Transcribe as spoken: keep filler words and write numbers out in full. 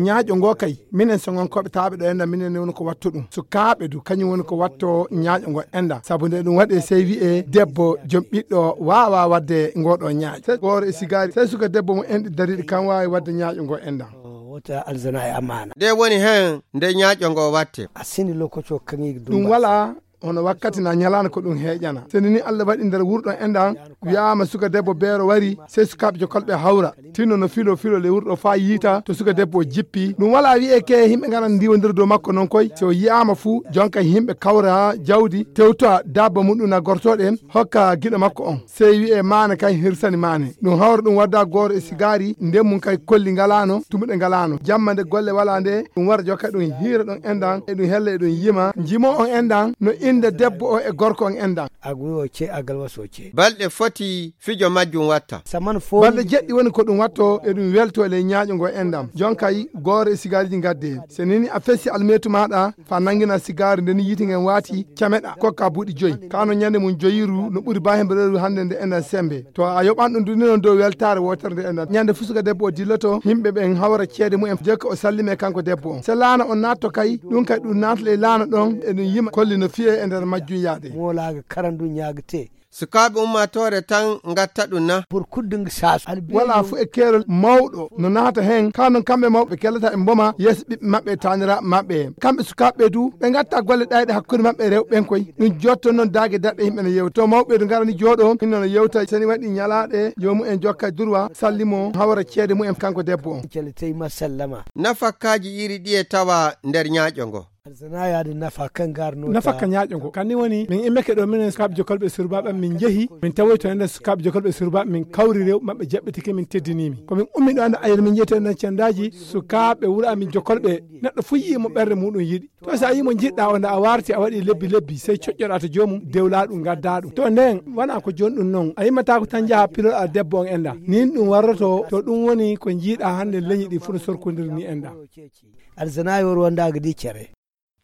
ñaaƴo ngo kay minen so gonkoɓe taaɓe ɗo enda minen woni ko wattu ɗum sukaaɓe du kañum woni ko watto ñaaƴo ngo enda sabu nde ɗum waɗe sey wi'e debbo joom ɓiɗɗo wawa wadde ngoɗo ñaaƴ sey gooro e sigari sey suka debbo mo enɗi dariɗi kan wawi wadde ñaaƴo ngo enda wota alzana e amana nde woni hen nde ñaaƴo ngo watte asini lokoto kangi ɗum wala hono wakkati na ñalana ko ɗum heeƴana seni ni Allah waɗi nder wurɗo enɗan wiyama suka debbo beero wari sey sukaɓe jokolɓe hawra tinno no filo filo le wurɗo fa yiita to suka debbo jippi ɗum wala wiye ke yimɓe garan ndiwodira dow makko noon koy so yiyama fuu jonka yimɓe kawra jawdi tewta dabba muɗum na gortoɗe en hokka guiɗo makko on sey wiye mane kay hirsani mane ɗum hawra ɗum wadda gooro e sigari nden mum kay kolli galano tumuɗe galano jamma nde golle wala nde ɗum wara jokka ɗum hiira ɗon enɗan e ɗum hella e ɗum yima jimo on enɗan no inde debbo o e gorko on enɗan aguyo ce agal waso ce balɗe foti fijo majjum watta saman fo balɗe jeɗɗi woni ko ɗum watto e ɗum welto le ñaaƴo ngo enɗam jonkay gooro e sigariji gadde so nini a fessi almetu maɗa fa nangina sigari ndeni yiti ngen waati cameɗa kokka buuɗi joyyi kano ñande mum joyiru no ɓuuri bahembeɗoru hande nde enɗan sembe to a yoɓan ɗum duni noon dow weltare wotere nde enɗan ñande fusuka debbo o dilloto yimɓe ɓen hawra ceede mumen jekka o sallime kanko debbo on so laana on natto kay ɗum kay ɗum natale laana ɗon e ɗum yima kolli no fiye e nder majjum yaade molaga karandu ñagate sukaaɓe ummatore tan gatta ɗum na pour kuddung sas wala fu e keerol mawɗo no naata hen kanon kamɓe mawɓe kellata e mboma yeeso ɓiɓɓe maɓɓe tanira maɓɓe kamɓe sukaaɓe du ɓe gatta golle ɗayɗe hakkude maɓɓe e rewɓen koy ɗum jotto noon dague daɗɗe yimɓe no yewta to mawɓe du garani jooɗo hinno no yewta seni waɗi ñalaɗe jomumen jokka durwa sallimo hawra ceede mumen kanko debbo on celeteyma sallama nafakkaji iri ɗi e tawa nder ñaaƴo ngo alzana yaade nafa kan garno nafa ka ñaaƴo ngo kanni woni min immeke ɗo minen sukaɓe jokolɓe surbaɓe min jeehi min tawoy to enen sukaɓe jokolɓe surbaɓe min kawri rewɓe maɓɓe jaɓɓitike min teddinimi komin ummi ɗo ande ayre min jeeyte enen cendaji sukaɓe wuuro amin jokolɓe neɗɗo fu yimo ɓerde muɗum yiɗi to so a yimo jiɗɗa o nde a warti a waɗi lebbi lebbi sey coƴƴoɗa to jomum dewla ɗum gadda ɗum to nden wona ko joni ɗum noon a yimmata ko tan jaaha piloɗa debbo on enda nin ɗum warroto to ɗum woni ko jiiɗa hande leñi ɗi fu no sorkodiri ni enda alzana yor wondaga di cere